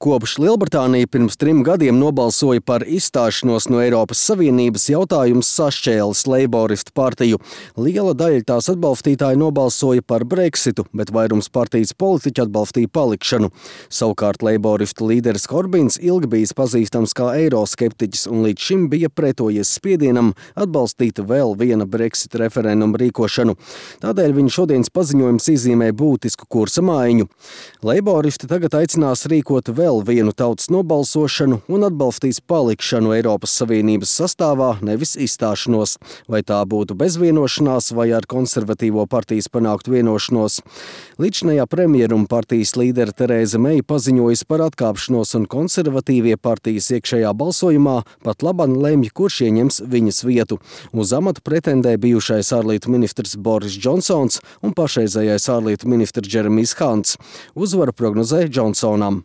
Kopš Lielbritānija pirms 3 gadiem nobalsoja par izstāšanos no Eiropas Savienības, jautājums sašķēlis Leiboristu partiju. Liela daļa tās atbalstītāji nobalsoja par Brexitu, bet vairums partijas politiķi atbalstīja palikšanu. Savukārt Leiboristu līderis Korbins ilgi bijis pazīstams kā eiroskeptiķis un līdz šim bija pretojies spiedienam atbalstīt vēl viena Brexit referenduma rīkošanu. Tādēļ viņa šodienas paziņojums iezīmē būtisku kursa maiņu. Leiboristi tagad aicinās rīkot vēl vienu tautas nobalsošanu un atbalstīs palikšanu Eiropas Savienības sastāvā, nevis izstāšanos. Vai tā būtu bez vienošanās vai ar konservatīvo partijas panākt vienošanos. Līdzinājā premjera un partijas līdere Terēza Meija paziņojusi par atkāpšanos un konservatīvie partijas iekšējā balsojumā pat laban lemj, kurš ieņems viņas vietu. Uz amatu pretendē bijušais ārlietu ministrs Boris Džonsons un pašreizējais ārlietu ministrs Džeremijs Hants. Uzvaru prognozē Džonsonam.